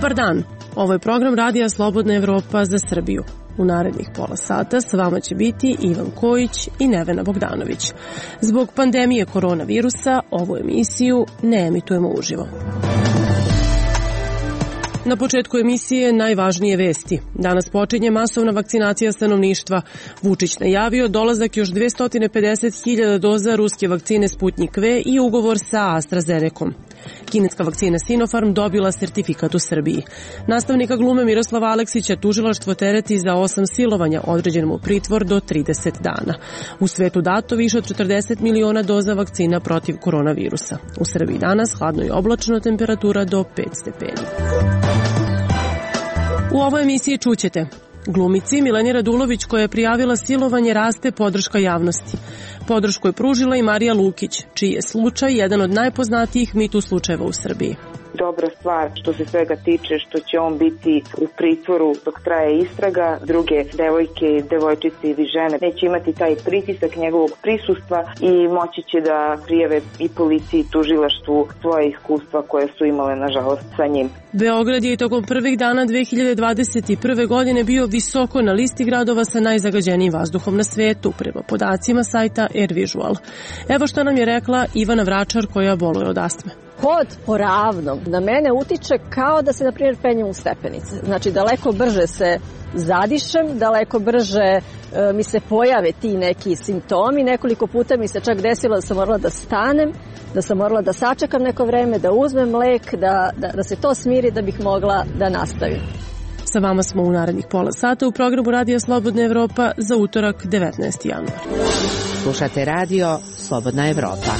Dobar dan, ovo je program Radija Slobodna Evropa za Srbiju. U narednih pola sata s vama će biti Ivan Kojić i Nevena Bogdanović. Zbog pandemije koronavirusa ovu emisiju ne emitujemo uživo. Na početku emisije najvažnije vesti. Danas počinje masovna vakcinacija stanovništva. Vučić najavio dolazak još 250.000 doza ruske vakcine Sputnik V i ugovor sa AstraZenecom. Kineska vakcina Sinopharm dobila sertifikat u Srbiji. Nastavnika glume Miroslava Aleksića tužilaštvo tereti za 8 silovanja, određen mu pritvor do 30 dana. U svetu dato više od 40 miliona doza vakcina protiv koronavirusa. U Srbiji danas hladno i oblačno, temperatura do 5 stepeni. U ovoj emisiji čućete: glumici Mileni Radulović, koja je prijavila silovanje, raste podrška javnosti. Podršku je pružila i Marija Lukić, čiji je slučaj jedan od najpoznatijih MeToo slučajeva u Srbiji. Dobra stvar što se svega tiče, što će on biti u pritvoru dok traje istraga. Druge devojke, devojčice ili žene neće imati taj pritisak njegovog prisustva i moći će da prijave i policiji i tužilaštvu svoje iskustva koje su imale, nažalost, sa njim. Beograd je i tokom prvih dana 2021. godine bio visoko na listi gradova sa najzagađenijim vazduhom na svetu, prema podacima sajta AirVisual. Evo što nam je rekla Ivana Vračar, koja boluje od astme. Hod po ravnom na mene utiče kao da se, na primjer, penjem u stepenice. Znači, daleko brže se zadišem, daleko brže mi se pojave ti neki simptomi. Nekoliko puta mi se čak desilo da sam morala da stanem, da sam morala da sačekam neko vreme, da uzmem lek, da se to smiri da bih mogla da nastavim. Sa vama smo u narednih pola sata u programu Radija Slobodna Evropa za utorak 19. januar. Slušate Radio Slobodna Evropa.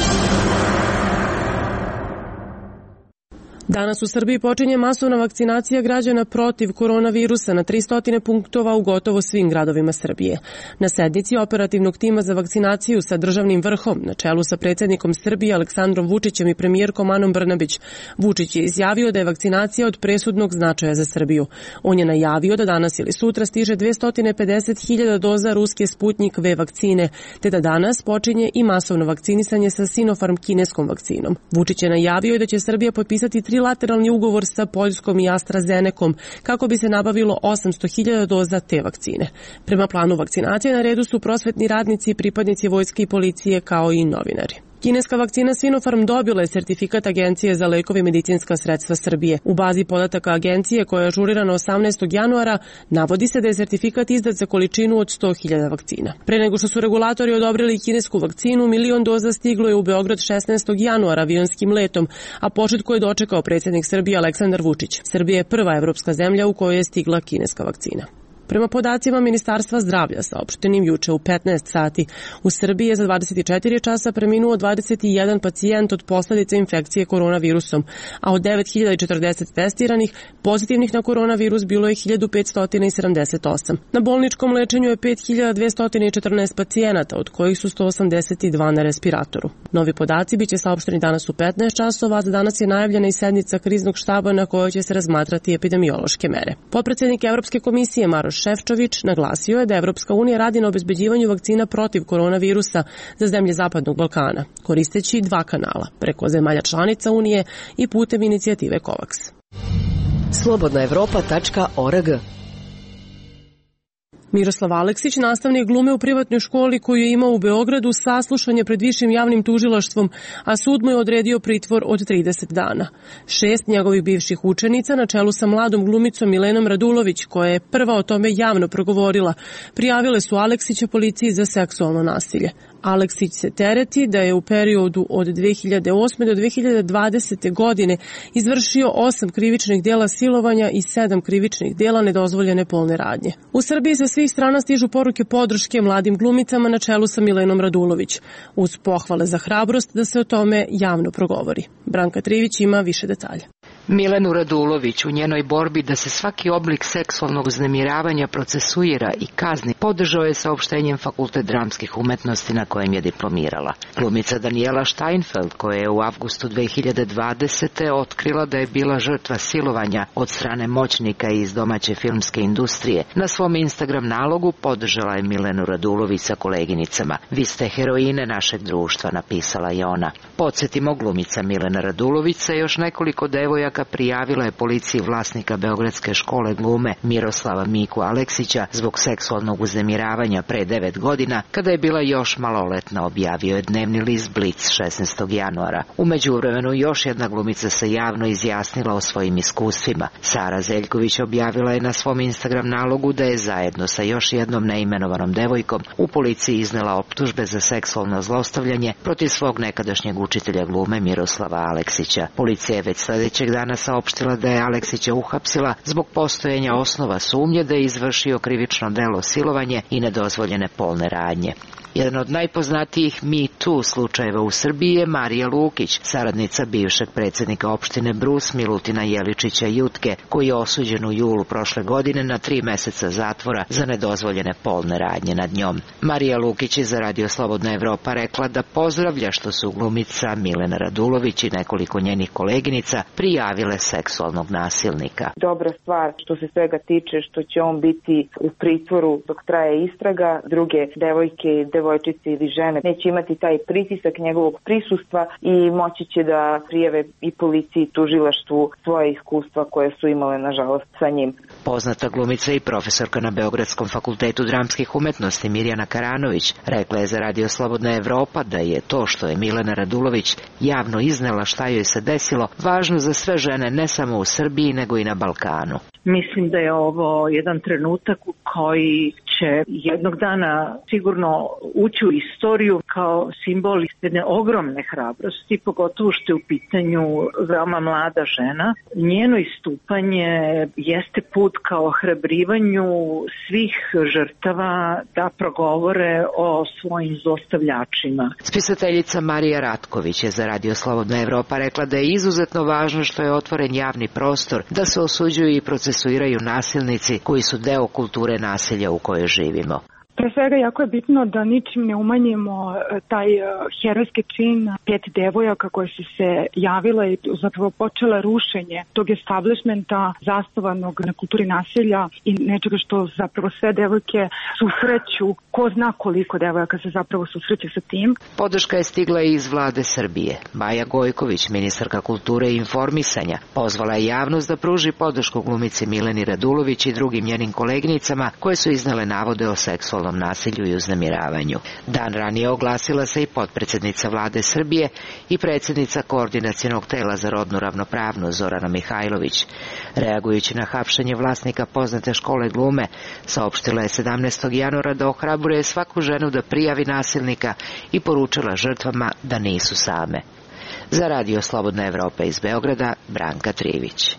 Danas u Srbiji počinje masovna vakcinacija građana protiv koronavirusa na 300 punktova u gotovo svim gradovima Srbije. Na sednici operativnog tima za vakcinaciju sa državnim vrhom, na čelu sa predsjednikom Srbije Aleksandrom Vučićem i premijerkom Anom Brnabić, Vučić je izjavio da je vakcinacija od presudnog značaja za Srbiju. On je najavio da danas ili sutra stiže 250.000 doza ruske Sputnik V vakcine, te da danas počinje i masovno vakcinisanje sa Sinopharm kineskom vakcinom. Vučić je najavio da će Srbija potpisati trilateralni ugovor sa Poljskom i AstraZenecom kako bi se nabavilo 800.000 doza te vakcine. Prema planu vakcinacije na redu su prosvetni radnici, pripadnici vojske i policije, kao i novinari. Kineska vakcina Sinopharm dobila je sertifikat Agencije za lekove i medicinska sredstva Srbije. U bazi podataka agencije, koja je ažurirana 18. januara, navodi se da je sertifikat izdat za količinu od 100.000 vakcina. Pre nego što su regulatori odobrili kinesku vakcinu, 1.000.000 doza stiglo je u Beograd 16. januara avionskim letom, a početku je dočekao predsjednik Srbije Aleksandar Vučić. Srbija je prva evropska zemlja u kojoj je stigla kineska vakcina. Prema podacima Ministarstva zdravlja saopštenim juče u 15 sati, u Srbiji je za 24 časa preminuo 21 pacijent od posljedica infekcije koronavirusom, a od 9.040 testiranih pozitivnih na koronavirus bilo je 1.578. Na bolničkom lečenju je 5.214 pacijenata, od kojih su 182 na respiratoru. Novi podaci biće saopšteni danas u 15 časova, a za danas je najavljena i sednica kriznog štaba na kojoj će se razmatrati epidemiološke mere. Potpredsednik Evropske komisije Maroš Šefčović naglasio je da Evropska unija radi na obezbeđivanju vakcina protiv koronavirusa za zemlje Zapadnog Balkana, koristeći 2 kanala, preko zemalja članica Unije i putem inicijative COVAX. slobodnaevropa.org. Miroslav Aleksić, nastavnik glume u privatnoj školi koju je imao u Beogradu, saslušan je pred višim javnim tužilaštvom, a sud mu je odredio pritvor od 30 dana. 6 njegovih bivših učenica, na čelu sa mladom glumicom Milenom Radulović, koja je prva o tome javno progovorila, prijavile su Aleksića policiji za seksualno nasilje. Aleksić se tereti da je u periodu od 2008. do 2020. godine izvršio 8 krivičnih dela silovanja i 7 krivičnih dela nedozvoljene polne radnje. U Srbiji sa svih strana stižu poruke podrške mladim glumicama na čelu sa Milenom Radulović, uz pohvale za hrabrost da se o tome javno progovori. Branka Trivić ima više detalja. Milenu Radulović u njenoj borbi da se svaki oblik seksualnog uznemiravanja procesuira i kazni podržao je saopštenjem Fakultet dramskih umetnosti na kojem je diplomirala. Glumica Daniela Steinfeld, koja je u avgustu 2020. otkrila da je bila žrtva silovanja od strane moćnika iz domaće filmske industrije, na svom Instagram nalogu podržala je Milenu Radulović sa koleginicama. Vi ste heroine našeg društva, napisala je ona. Podsjetimo, glumica Milena Radulović sa još nekoliko devojaka sastanka prijavila je policiji vlasnika beogradske škole glume Miroslava Miku Aleksića zbog seksualnog uznemiravanja pre 9 godina, kada je bila još maloletna, objavio je dnevni list Blic 16. januara. U međuvremenu još jedna glumica se javno izjasnila o svojim iskustvima. Sara Zeljković objavila je na svom Instagram nalogu da je zajedno sa još jednom neimenovanom devojkom u policiji iznela optužbe za seksualno zlostavljanje protiv svog nekadašnjeg učitelja glume Miroslava Aleksića. Policija je već sledećeg dana saopštila da je Aleksića uhapsila zbog postojanja osnova sumnje da je izvršio krivično delo silovanje i nedozvoljene polne radnje. Jedan od najpoznatijih Me Too slučajeva u Srbiji je Marija Lukić, saradnica bivšeg predsjednika opštine Brus Milutina Jeličića Jutke, koji je osuđen u julu prošle godine na 3 meseca zatvora za nedozvoljene polne radnje nad njom. Marija Lukić je za Radio Slobodna Evropa rekla da pozdravlja što su glumica Milena Radulović i nekoliko njenih koleginica prijavile seksualnog nasilnika. Dobra stvar što se svega tiče, što će on biti u pritvoru dok traje istraga, druge devojčice ili žene neće imati taj pritisak njegovog prisustva i moći će da prijave i policiji i tužilaštvu svoje iskustva koje su imale nažalost sa njim. Poznata glumica i profesorka na Beogradskom fakultetu dramskih umetnosti Mirjana Karanović rekla je za Radio Slobodna Evropa da je to što je Milena Radulović javno iznela šta joj se desilo važno za sve žene ne samo u Srbiji nego i na Balkanu. Mislim da je ovo jedan trenutak u koji će jednog dana sigurno ući u istoriju kao simbol jedne ogromne hrabrosti, pogotovo što je u pitanju veoma mlada žena. Njeno istupanje jeste put ka ohrabrivanju svih žrtava da progovore o svojim zlostavljačima. Spisateljica Marija Ratković je za Radio Slobodna Evropa rekla da je izuzetno važno što je otvoren javni prostor, da se osuđuju i procesuiraju nasilnici koji su deo kulture nasilja u kojoj živimo. Pre svega jako je bitno da ničim ne umanjimo taj herojski čin 5 devojaka koje su se javile i zapravo počele rušenje tog establishmenta zasnovanog na kulturi nasilja i nečega što zapravo sve devojke susreću. Ko zna koliko devojaka se zapravo susreće sa tim. Podrška je stigla i iz vlade Srbije. Maja Gojković, ministarka kulture i informisanja, pozvala je javnost da pruži podršku glumici Mileni Radulović i drugim njenim koleginicama koje su iznele navode o seksualnom nasilju i uznemiravanju. Dan ranije oglasila se i potpredsednica vlade Srbije i predsjednica Koordinacionog tela za rodnu ravnopravnost Zorana Mihajlović. Reagujući na hapšenje vlasnika poznate škole glume, saopštila je 17. januara da ohrabruje svaku ženu da prijavi nasilnika i poručila žrtvama da nisu same. Za Radio Slobodna Evropa iz Beograda, Branka Trivić.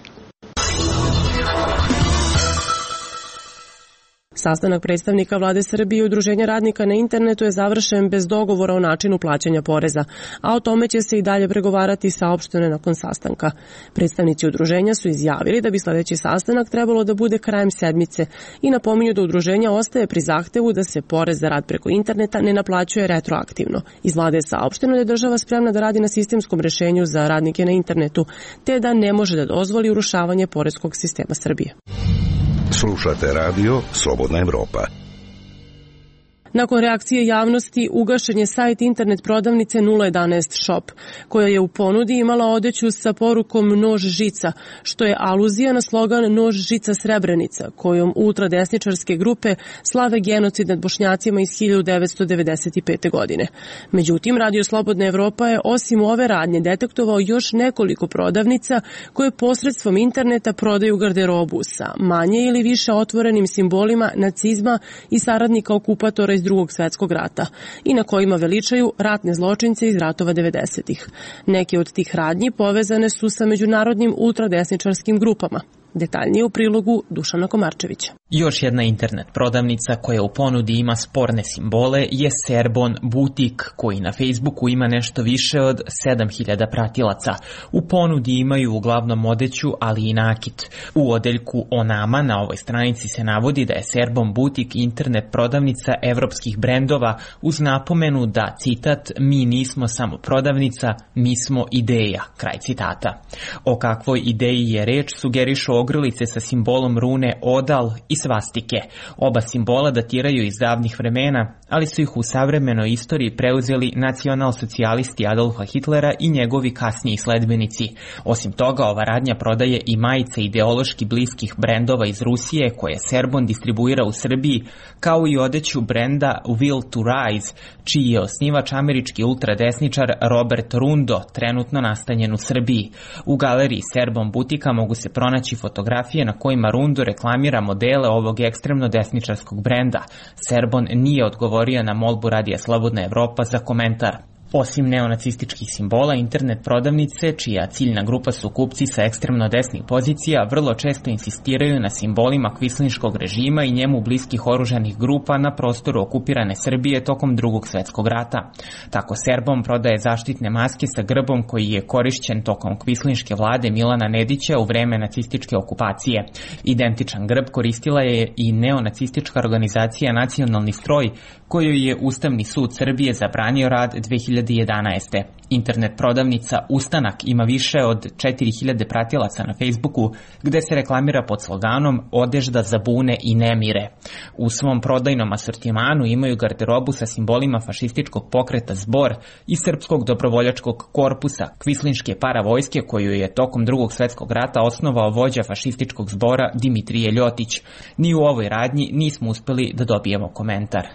Sastanak predstavnika vlade Srbije i Udruženja radnika na internetu je završen bez dogovora o načinu plaćanja poreza, a o tome će se i dalje pregovarati, saopšteno nakon sastanka. Predstavnici udruženja su izjavili da bi sledeći sastanak trebalo da bude krajem sedmice i napominju da udruženja ostaje pri zahtevu da se porez za rad preko interneta ne naplaćuje retroaktivno. Iz vlade je saopšteno da je država spremna da radi na sistemskom rešenju za radnike na internetu, te da ne može da dozvoli urušavanje poreskog sistema Srbije. Slušate Radio Slobodna Evropa. Nakon reakcije javnosti ugašen je sajt internet prodavnice 011 Shop, koja je u ponudi imala odeću sa porukom Nož žica, što je aluzija na slogan Nož žica Srebrenica, kojom ultradesničarske grupe slave genocid nad Bošnjacima iz 1995. godine. Međutim, Radio Slobodna Evropa je osim ove radnje detektovao još nekoliko prodavnica koje posredstvom interneta prodaju garderobu sa manje ili više otvorenim simbolima nacizma i saradnika okupatora iz Drugog svjetskog rata i na kojima veličaju ratne zločince iz ratova 90-ih. Neke od tih radnji povezane su sa međunarodnim ultradesničarskim grupama. Detaljnije u prilogu Dušana Komarčevića. Još jedna internet prodavnica koja u ponudi ima sporne simbole je Serbon Butik, koji na Facebooku ima nešto više od 7000 pratilaca. U ponudi imaju uglavnom odeću, ali i nakit. U odeljku o nama na ovoj stranici se navodi da je Serbon Butik internet prodavnica evropskih brendova uz napomenu da, citat, mi nismo samo prodavnica, mi smo ideja, kraj citata. O kakvoj ideji je reč sugerišu ogrlice sa simbolom rune Odal i svastike. Oba simbola datiraju iz davnih vremena, ali su ih u savremenoj istoriji preuzeli nacionalsocijalisti Adolfa Hitlera i njegovi kasniji sledbenici. Osim toga, ova radnja prodaje i majice ideološki bliskih brendova iz Rusije koje Serbon distribuira u Srbiji, kao i odeću brenda Will to Rise, čiji je osnivač američki ultradesničar Robert Rundo, trenutno nastanjen u Srbiji. U galeriji Serbon butika mogu se pronaći fotografije na kojima Rundo reklamira modele ovog ekstremno desničarskog brenda. Serbon nije odgovorio na molbu Radija Slobodna Evropa za komentar. Osim neonacističkih simbola, internet prodavnice, čija ciljna grupa su kupci sa ekstremno desnih pozicija, vrlo često insistiraju na simbolima kvislinškog režima i njemu bliskih oružanih grupa na prostoru okupirane Srbije tokom Drugog svetskog rata. Tako Serbon prodaje zaštitne maske sa grbom koji je korišćen tokom kvislinške vlade Milana Nedića u vreme nacističke okupacije. Identičan grb koristila je i neonacistička organizacija Nacionalni stroj, kojoj je Ustavni sud Srbije zabranio rad 2011. Internet prodavnica Ustanak ima više od 4000 pratilaca na Facebooku, gde se reklamira pod sloganom Odežda za bune i nemire. U svom prodajnom asortimanu imaju garderobu sa simbolima fašističkog pokreta Zbor i srpskog dobrovoljačkog korpusa kvislinške paravojske koju je tokom Drugog svetskog rata osnovao vođa fašističkog zbora Dimitrije Ljotić. Ni u ovoj radnji nismo uspeli da dobijemo komentar.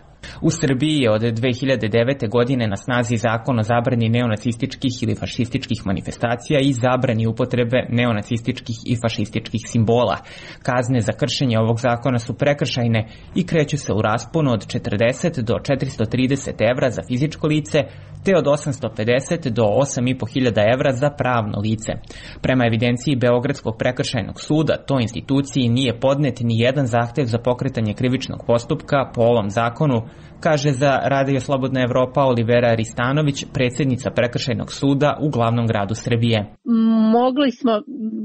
U Srbiji je od 2009. godine na snazi zakon o zabrani neonacističkih ili fašističkih manifestacija i zabrani upotrebe neonacističkih i fašističkih simbola. Kazne za kršenje ovog zakona su prekršajne i kreću se u rasponu od 40 do 430 evra za fizičko lice, te od 850 do 8.500 evra za pravno lice. Prema evidenciji Beogradskog prekršajnog suda, toj instituciji nije podnet ni jedan zahtev za pokretanje krivičnog postupka po ovom zakonu, kaže za Radio Slobodna Evropa Olivera Ristanović, predsjednica prekršajnog suda u glavnom gradu Srbije. Mogli smo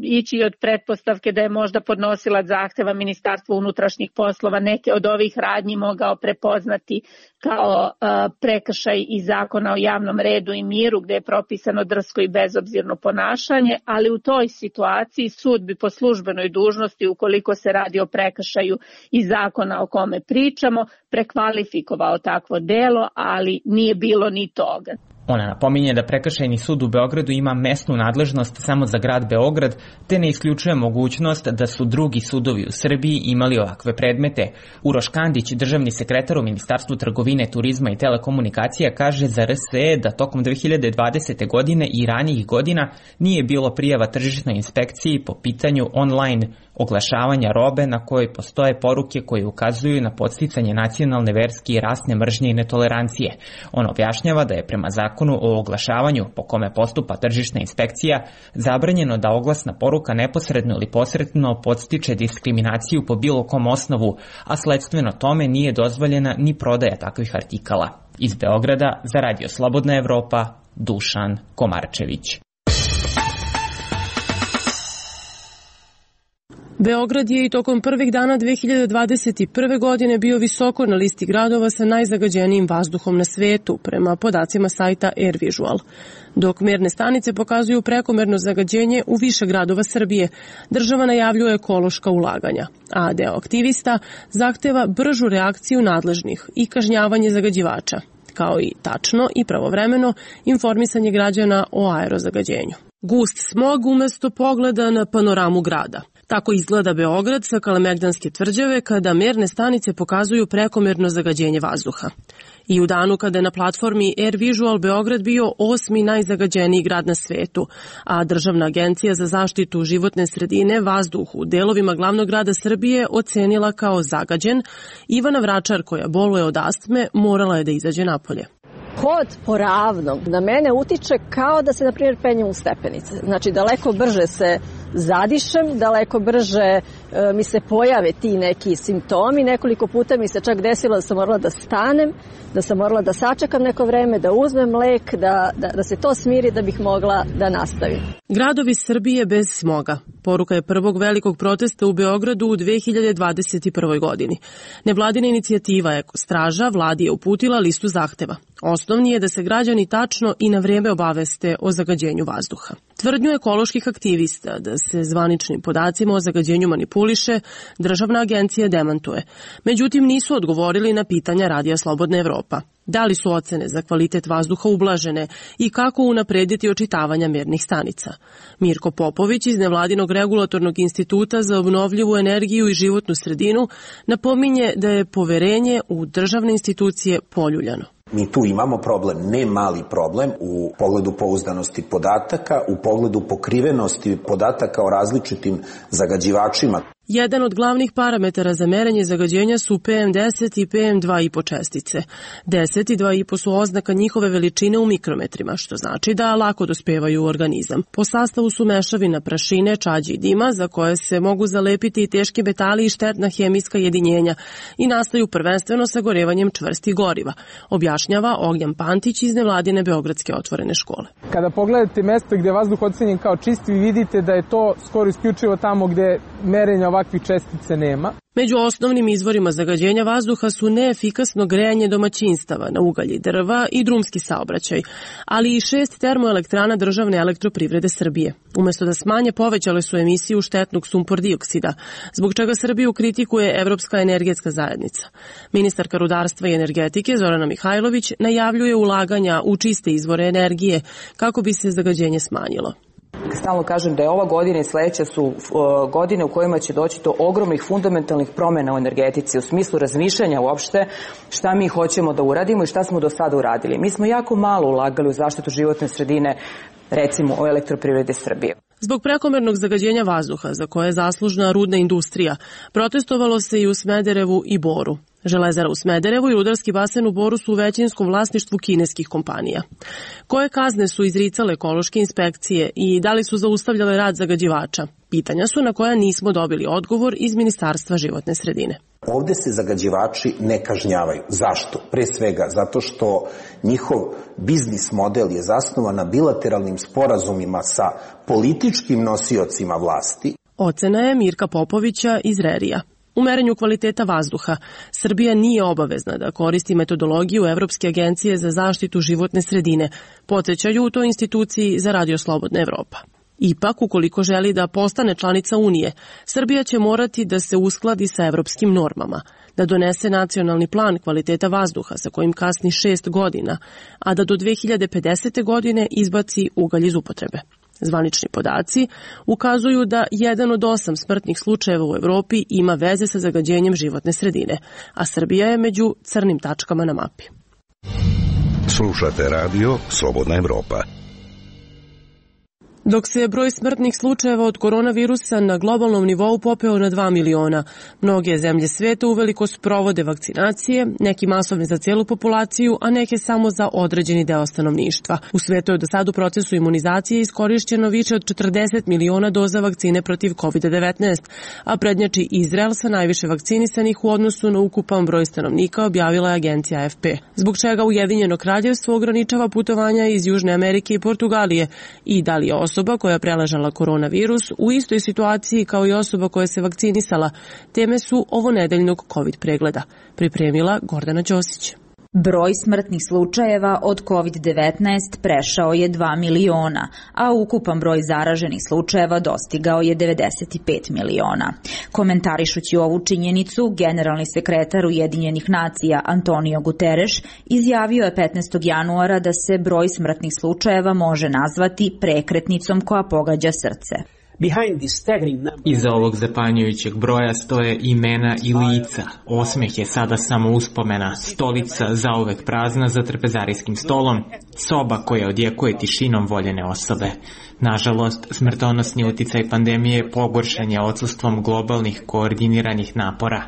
ići od pretpostavke da je možda podnosilac zahteva Ministarstvo unutrašnjih poslova neke od ovih radnji mogao prepoznati kao prekršaj iz zakona o javnom redu i miru gde je propisano drsko i bezobzirno ponašanje, ali u toj situaciji sud bi po službenoj dužnosti, ukoliko se radi o prekršaju iz zakona o kome pričamo, prekvalifikovao takvo delo, ali nije bilo ni toga. Ona napominje da prekršajni sud u Beogradu ima mesnu nadležnost samo za grad Beograd, te ne isključuje mogućnost da su drugi sudovi u Srbiji imali ovakve predmete. Uroš Kandić, državni sekretar u Ministarstvu trgovine, turizma i telekomunikacija, kaže za RSE da tokom 2020. godine i ranijih godina nije bilo prijava tržišnoj inspekciji po pitanju online oglašavanja robe na kojoj postoje poruke koje ukazuju na podsticanje nacionalne, verske i rasne mržnje i netolerancije. On objašnjava da je prema zakonu o oglašavanju po kome postupa tržišna inspekcija zabranjeno da oglasna poruka neposredno ili posredno podstiče diskriminaciju po bilo kom osnovu, a sledstveno tome nije dozvoljena ni prodaja takvih artikala. Iz Beograda za Radio Slobodna Evropa, Dušan Komarčević. Beograd je i tokom prvih dana 2021. godine bio visoko na listi gradova sa najzagađenijim vazduhom na svetu, prema podacima sajta AirVisual. Dok merne stanice pokazuju prekomerno zagađenje u više gradova Srbije, država najavljuje ekološka ulaganja, a deo aktivista zahteva bržu reakciju nadležnih i kažnjavanje zagađivača, kao i tačno i pravovremeno informisanje građana o aerozagađenju. Gust smog umesto pogleda na panoramu grada. Tako izgleda Beograd sa Kalemegdanske tvrđave kada merne stanice pokazuju prekomerno zagađenje vazduha. I u danu kada je na platformi AirVisual Beograd bio 8. najzagađeniji grad na svetu, a Državna agencija za zaštitu životne sredine vazduh u delovima glavnog grada Srbije ocenila kao zagađen, Ivana Vračar, koja boluje od astme, morala je da izađe napolje. Hod po ravnom na mene utiče kao da se, na primjer, penjem u stepenice. Znači, daleko brže se zadišem, daleko brže mi se pojave ti neki simptomi. Nekoliko puta mi se čak desilo da sam morala da stanem, da sam morala da sačekam neko vreme, da uzmem lek, da se to smiri da bih mogla da nastavim. Gradovi Srbije bez smoga. Poruka je prvog velikog protesta u Beogradu u 2021. godini. Nevladina inicijativa Ekostraža vladi je uputila listu zahteva. Osnovni je da se građani tačno i na vrijeme obaveste o zagađenju vazduha. Tvrdnju ekoloških aktivista da se zvaničnim podacima o zagađenju manipuliše, državna agencija demantuje. Međutim, nisu odgovorili na pitanja Radija Slobodna Evropa. Da li su ocene za kvalitet vazduha ublažene i kako unaprediti očitavanja mernih stanica? Mirko Popović iz Nevladinog regulatornog instituta za obnovljivu energiju i životnu sredinu napominje da je poverenje u državne institucije poljuljano. Mi tu imamo problem, ne mali problem u pogledu pouzdanosti podataka, u pogledu pokrivenosti podataka o različitim zagađivačima. Jedan od glavnih parametara za merenje zagađenja su PM10 i PM2,5 čestice. 10 i 2,5 su oznaka njihove veličine u mikrometrima, što znači da lako dospevaju u organizam. Po sastavu su mešavina prašine, čađi i dima, za koje se mogu zalepiti i teški metali i štetna hemijska jedinjenja i nastaju prvenstveno sagorevanjem čvrstih goriva, objašnjava Ognjan Pantić iz Nevladine Beogradske otvorene škole. Kada pogledate mesto gde je vazduh ocenjen kao čist, vi vidite da je to skoro isključivo tamo gde merenja ovakvih čestice nema. Među osnovnim izvorima zagađenja vazduha su neefikasno grejanje domaćinstava na ugalj i drva i drumski saobraćaj, ali i 6 termoelektrana državne elektroprivrede Srbije. Umesto da smanje, povećale su emisiju štetnog sumpor dioksida, zbog čega Srbiju kritikuje Evropska energetska zajednica. Ministarka rudarstva i energetike Zorana Mihajlović najavljuje ulaganja u čiste izvore energije kako bi se zagađenje smanjilo. Stalno kažem da je ova godina i sledeća su godine u kojima će doći do ogromnih fundamentalnih promjena u energetici, u smislu razmišljanja uopšte šta mi hoćemo da uradimo i šta smo do sada uradili. Mi smo jako malo ulagali u zaštitu životne sredine, recimo o elektroprivrede Srbije. Zbog prekomernog zagađenja vazduha, za koje je zaslužna rudna industrija, protestovalo se i u Smederevu i Boru. Železara u Smederevu i rudarski basen u Boru su u većinskom vlasništvu kineskih kompanija. Koje kazne su izricale ekološke inspekcije i da li su zaustavljale rad zagađivača? Pitanja su na koja nismo dobili odgovor iz Ministarstva životne sredine. Ovde se zagađivači ne kažnjavaju. Zašto? Pre svega zato što njihov biznis model je zasnovan na bilateralnim sporazumima sa političkim nosiocima vlasti. Ocena je Mirka Popovića iz RERI-a. U merenju kvaliteta vazduha, Srbija nije obavezna da koristi metodologiju Evropske agencije za zaštitu životne sredine, podsjećaju u toj instituciji za Radio Slobodna Evropa. Ipak, ukoliko želi da postane članica Unije, Srbija će morati da se uskladi sa evropskim normama, da donese nacionalni plan kvaliteta vazduha sa kojim kasni 6 godina, a da do 2050. godine izbaci ugalj iz upotrebe. Zvanični podaci ukazuju da 1 od 8 smrtnih slučajeva u Evropi ima veze sa zagađenjem životne sredine, a Srbija je među crnim tačkama na mapi. Slušate radio Slobodna Evropa. Dok se broj smrtnih slučajeva od koronavirusa na globalnom nivou popeo na 2 miliona, mnoge zemlje sveta uveliko sprovode vakcinacije, neki masovne za celu populaciju, a neke samo za određeni deo stanovništva. U svetu je do sada u procesu imunizacije iskorišćeno više od 40 miliona doza vakcine protiv COVID-19, a prednjači Izrael sa najviše vakcinisanih u odnosu na ukupan broj stanovnika, objavila je agencija AFP. Zbog čega Ujedinjeno kraljevstvo ograničava putovanja iz Južne Amerike i Portugalije i da li je osoba koja je preležala koronavirus u istoj situaciji kao i osoba koja se vakcinisala. Teme su ovonedeljnog COVID pregleda. Pripremila Gordana Ćosić. Broj smrtnih slučajeva od COVID-19 prešao je 2 miliona, a ukupan broj zaraženih slučajeva dostigao je 95 miliona. Komentarišući ovu činjenicu, generalni sekretar Ujedinjenih nacija Antonio Guterres izjavio je 15. januara da se broj smrtnih slučajeva može nazvati prekretnicom koja pogađa srce. Iza ovog zapanjujućeg broja stoje imena i lica. Osmeh je sada samo uspomena, stolica zauvek prazna za trpezarijskim stolom, soba koja odjekuje tišinom voljene osobe. Nažalost, smrtonosni uticaj pandemije pogoršan je odsustvom globalnih koordiniranih napora.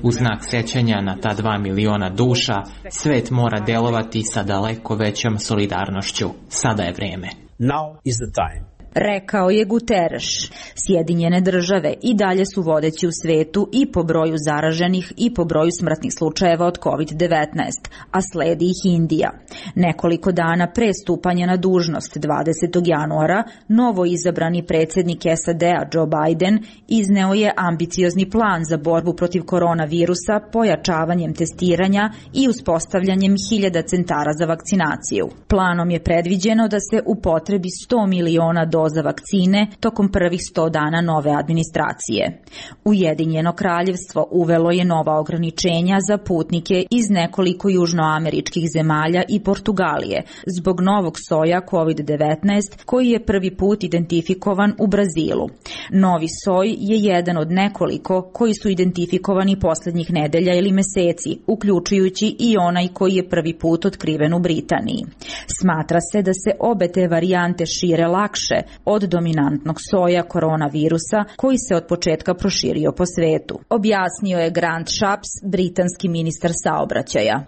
U znak sećanja na ta 2 miliona duša, svet mora delovati sa daleko većom solidarnošću. Sada je vreme. Now is the time. Rekao je Guterres. Sjedinjene države i dalje su vodeći u svetu i po broju zaraženih i po broju smrtnih slučajeva od COVID-19, a sledi ih Indija. Nekoliko dana pre stupanja na dužnost 20. januara, novo izabrani predsjednik SAD-a Joe Biden izneo je ambiciozni plan za borbu protiv koronavirusa pojačavanjem testiranja i uspostavljanjem 1000 centara za vakcinaciju. Planom je predviđeno da se upotrebi 100 miliona doza doza vakcine tokom prvih 100 dana nove administracije. Ujedinjeno kraljevstvo uvelo je nova ograničenja za putnike iz nekoliko južnoameričkih zemalja i Portugalije zbog novog soja COVID-19 koji je prvi put identifikovan u Brazilu. Novi soj je jedan od nekoliko koji su identifikovani poslednjih nedelja ili meseci, uključujući i onaj koji je prvi put otkriven u Britaniji. Smatra se da se obe te varijante šire lakše od dominantnog soja koronavirusa koji se od početka proširio po svetu. Objasnio je Grant Shapps, britanski ministar saobraćaja.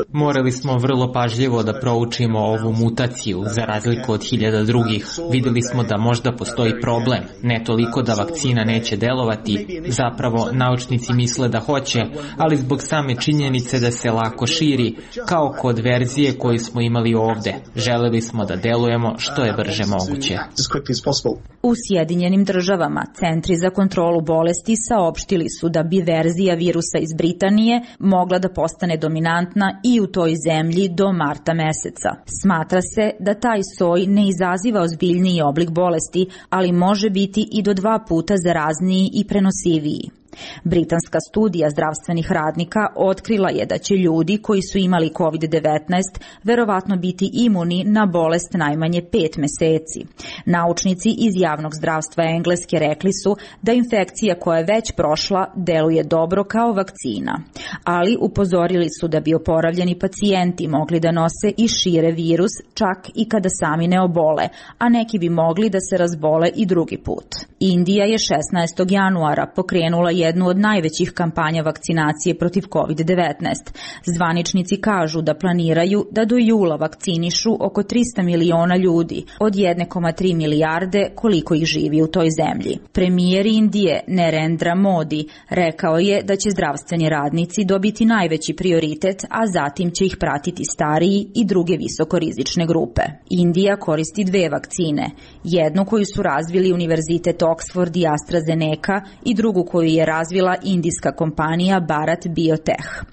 Morali smo vrlo pažljivo da proučimo ovu mutaciju za razliku od hiljada drugih. Videli smo da možda postoji problem, ne toliko da vakcina neće delovati, zapravo naučnici misle da hoće, ali zbog same činjenice da se lako širi, kao kod verzije koju smo imali ovde. Želeli smo da delujemo što je brže moguće. U Sjedinjenim državama Centri za kontrolu bolesti saopštili su da bi verzija virusa iz Britanije mogla da postane dominantna i u toj zemlji do marta meseca. Smatra se da taj soj ne izaziva ozbiljniji oblik bolesti, ali može biti i do 2 puta zarazniji i prenosiviji. Britanska studija zdravstvenih radnika otkrila je da će ljudi koji su imali COVID-19 verovatno biti imuni na bolest najmanje 5 meseci. Naučnici iz javnog zdravstva Engleske rekli su da infekcija koja je već prošla deluje dobro kao vakcina, ali upozorili su da bi oporavljeni pacijenti mogli da nose i šire virus čak i kada sami ne obole, a neki bi mogli da se razbole i drugi put. Indija je 16. januara pokrenula jednu od najvećih kampanja vakcinacije protiv COVID-19. Zvaničnici kažu da planiraju da do jula vakcinišu oko 300 miliona ljudi od 1,3 milijarde koliko ih živi u toj zemlji. Premijer Indije Narendra Modi rekao je da će zdravstveni radnici dobiti najveći prioritet, a zatim će ih pratiti stariji i druge visokorizične grupe. Indija koristi 2 vakcine, jednu koju su razvili Univerzitet Oxford i AstraZeneca i drugu koju je razvila indijska kompanija Bharat Biotech.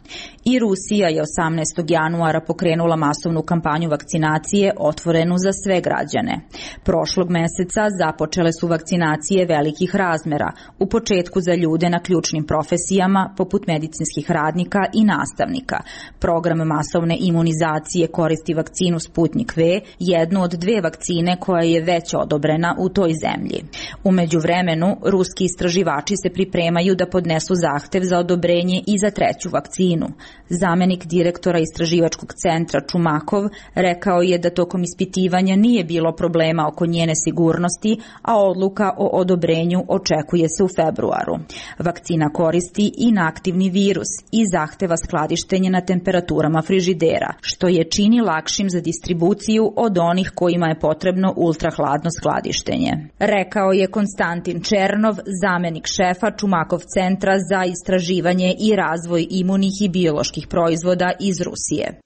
I Rusija je 18. januara pokrenula masovnu kampanju vakcinacije otvorenu za sve građane. Prošlog meseca započele su vakcinacije velikih razmera, u početku za ljude na ključnim profesijama poput medicinskih radnika i nastavnika. Program masovne imunizacije koristi vakcinu Sputnik V, jednu od 2 vakcine koja je već odobrena u toj zemlji. U međuvremenu, ruski istraživači se pripremaju da podnesu zahtev za odobrenje i za 3. vakcinu. Zamenik direktora istraživačkog centra Čumakov rekao je da tokom ispitivanja nije bilo problema oko njene sigurnosti, a odluka o odobrenju očekuje se u februaru. Vakcina koristi inaktivni virus i zahteva skladištenje na temperaturama frižidera, što je čini lakšim za distribuciju od onih kojima je potrebno ultrahladno skladištenje. Rekao je Konstantin Černov, zamenik šefa Čumakov centra za istraživanje i razvoj imunih i bioloških proizvoda iz Rusije.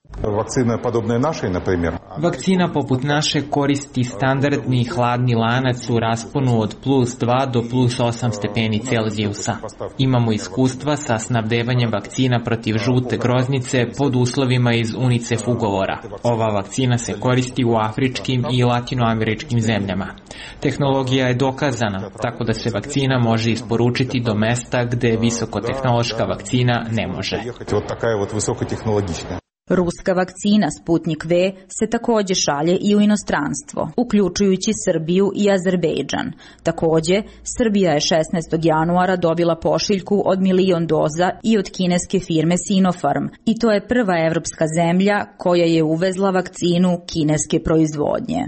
Vakcina poput naše koristi standardni hladni lanac u rasponu od +2 do +8 stepeni Celzijusa. Imamo iskustva sa snabdevanjem vakcina protiv žute groznice pod uslovima iz UNICEF ugovora. Ova vakcina se koristi u afričkim i latinoameričkim zemljama. Tehnologija je dokazana, tako da se vakcina može isporučiti do mesta gde visokotehnološka vakcina ne može. Ruska vakcina Sputnik V se takođe šalje i u inostranstvo, uključujući Srbiju i Azerbejdžan. Takođe, Srbija je 16. januara dobila pošiljku od 1 milion doza i od kineske firme Sinopharm, i to je prva evropska zemlja koja je uvezla vakcinu kineske proizvodnje.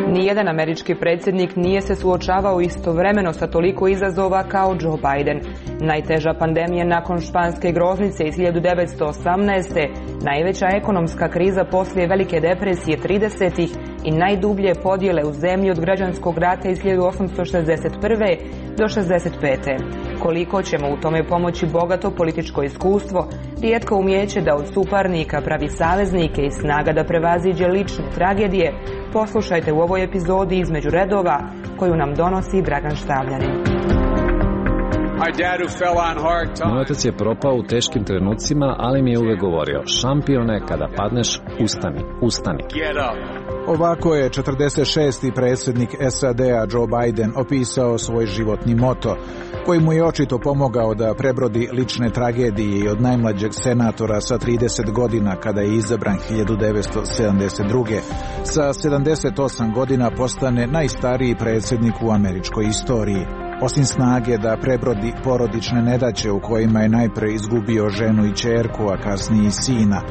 Nijedan američki predsjednik nije se suočavao istovremeno sa toliko izazova kao Joe Biden. Najteža pandemija nakon španske groznice iz 1918. Najveća ekonomska kriza poslije Velike depresije 30-ih i najdublje podjele u zemlji od građanskog rata iz 1861. do 65. Koliko ćemo u tome pomoći bogato političko iskustvo, rijetko umijeće da od suparnika pravi saveznike i snaga da prevaziđe lične tragedije, poslušajte u ovoj epizodi Između redova koju nam donosi Dragan Štavljanin. Moj otac je propao u teškim trenucima, ali mi je uvek govorio, šampione, kada padneš, ustani, ustani. Ovako je 46. predsjednik SAD-a Joe Biden opisao svoj životni moto, koji mu je očito pomogao da prebrodi lične tragedije i od najmlađeg senatora sa 30 godina kada je izabran 1972. Sa 78 godina postane najstariji predsjednik u američkoj istoriji. Osim snage da prebrodi porodične nedaće u kojima je najpre izgubio ženu i ćerku, a kasnije i sina,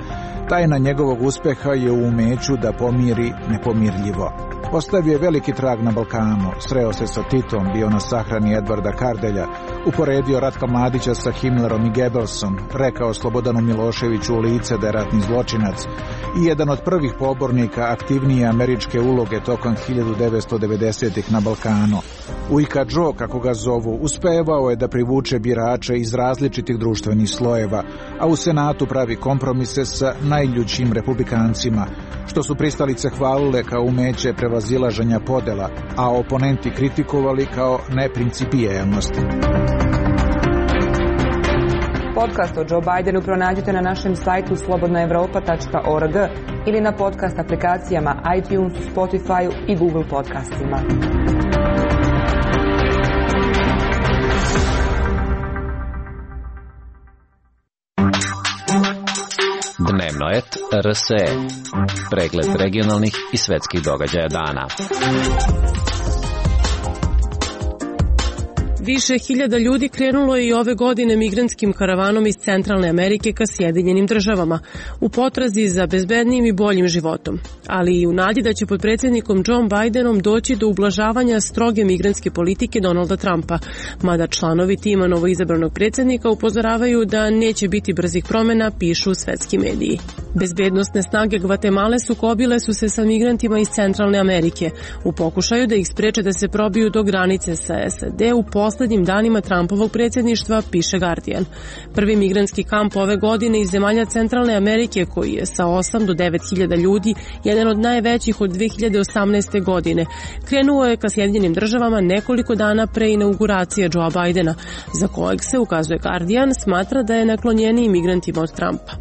tajna njegovog uspeha je u umeću da pomiri nepomirljivo. Ostavio je veliki trag na Balkanu, sreo se sa Titom, bio na sahrani Edvarda Kardelja, uporedio Ratka Mladića sa Himmlerom i Goebbelsom, rekao Slobodanu Miloševiću u lice da je ratni zločinac i jedan od prvih pobornika aktivnije američke uloge tokom 1990-ih na Balkanu. Ujka Joe, kako ga zovu, uspevao je da privuče birače iz različitih društvenih slojeva, a u Senatu pravi kompromise sa najljućim republikancima, što su pristalice hvalile kao umeće prevazilaženja podela, a oponenti kritikovali kao neprincipijelnost. Podcast o Joe Bidenu pronađite na našem sajtu slobodnaevropa.org ili na podcast aplikacijama iTunes, Spotify i Google podcastima. Dnevnoet RSE. Pregled regionalnih i svetskih događaja dana. Više hiljada ljudi krenulo je i ove godine migrantskim karavanom iz Centralne Amerike ka Sjedinjenim Državama u potrazi za bezbednijim i boljim životom, ali i u nadi da će pod predsjednikom Joe Bidenom doći do ublažavanja stroge migrantske politike Donalda Trumpa, mada članovi tima novoizabranog predsjednika upozoravaju da neće biti brzih promjena, pišu svetski mediji. Bezbednosne snage Gvatemale sukobile su se sa migrantima iz Centralne Amerike u pokušaju da ih spreče da se probiju do granice sa SAD u poslednjim danima Trumpovog predsjedništva, piše Guardian. Prvi migrantski kamp ove godine iz zemalja Centralne Amerike, koji je sa 8 do 9 hiljada ljudi, jedan od najvećih od 2018. godine, krenuo je ka Sjedinjenim Državama nekoliko dana pre inauguracije Joea Bidena, za kojeg se, ukazuje Guardian, smatra da je naklonjeniji migrantima od Trumpa.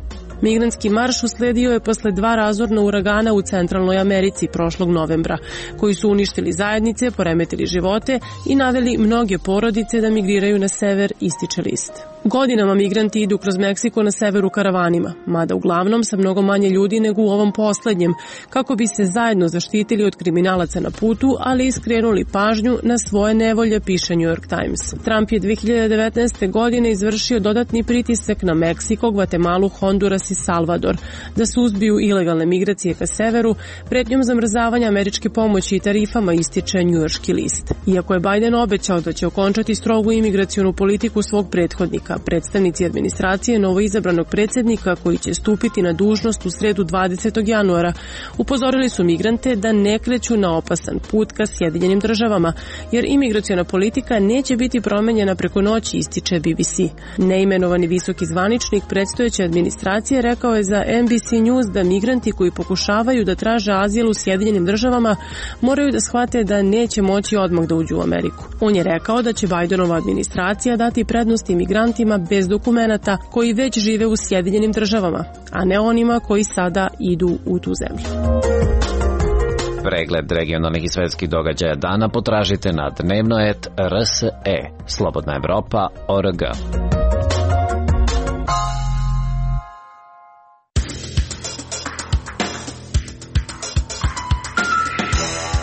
Migrantski marš usledio je posle 2 razorna uragana u Centralnoj Americi prošlog novembra, koji su uništili zajednice, poremetili živote i naveli mnoge porodice da migriraju na sever, ističe list. Godinama migranti idu kroz Meksiko na severu karavanima, mada uglavnom sa mnogo manje ljudi nego u ovom poslednjem, kako bi se zajedno zaštitili od kriminalaca na putu, ali i skrenuli pažnju na svoje nevolje, piše New York Times. Trump je 2019. godine izvršio dodatni pritisak na Meksiko, Gvatemalu, Honduras i Salvador da suzbiju ilegalne migracije ka severu, pretnjom zamrzavanja američke pomoći i tarifama, ističe njujorški list. Iako je Biden obećao da će okončati strogu imigracionu politiku svog prethodnika, predstavnici administracije novoizabranog predsjednika, koji će stupiti na dužnost u sredu 20. januara, upozorili su migrante da ne kreću na opasan put ka Sjedinjenim Državama, jer imigraciona politika neće biti promenjena preko noći, ističe BBC. Neimenovani visoki zvaničnik predstojeće administracije rekao je za NBC News da migranti koji pokušavaju da traže azil u Sjedinjenim Državama moraju da shvate da neće moći odmah da uđu u Ameriku. On je rekao da će Bidenova administracija dati prednost imigrantima bez dokumenata koji već žive u Sjedinjenim Državama, a ne onima koji sada idu u tu zemlju. Pregled regionalnih i svetskih događaja dana potražite na Dnevnoet RSE, slobodnaevropa.org.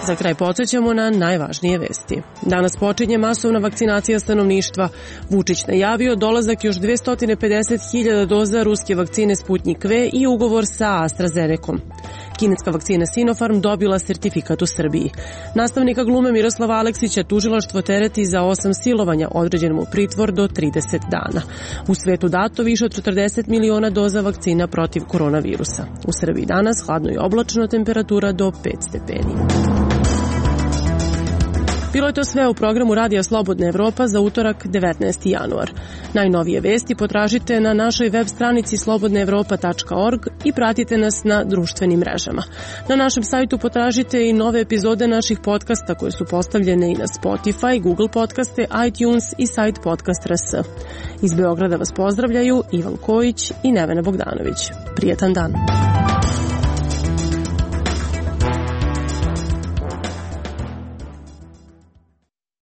Za kraj podsjećamo na najvažnije vesti. Danas počinje masovna vakcinacija stanovništva. Vučić najavio dolazak još 250.000 doza ruske vakcine Sputnik V i ugovor sa AstraZenecom. Kineska vakcina Sinopharm dobila sertifikat u Srbiji. Nastavnika glume Miroslava Aleksića tužilaštvo tereti za 8 silovanja, određen mu pritvor do 30 dana. U svetu dato više od 40 miliona doza vakcina protiv koronavirusa. U Srbiji danas hladno i oblačno, temperatura do 5 stepeni. Bilo je to sve u programu Radija Slobodna Evropa za utorak 19. januar. Najnovije vesti potražite na našoj web stranici slobodnaevropa.org i pratite nas na društvenim mrežama. Na našem sajtu potražite i nove epizode naših podcasta koje su postavljene i na Spotify, Google podcaste, iTunes i sajt Podcast.rs. Iz Beograda vas pozdravljaju Ivan Kojić i Nevena Bogdanović. Prijetan dan.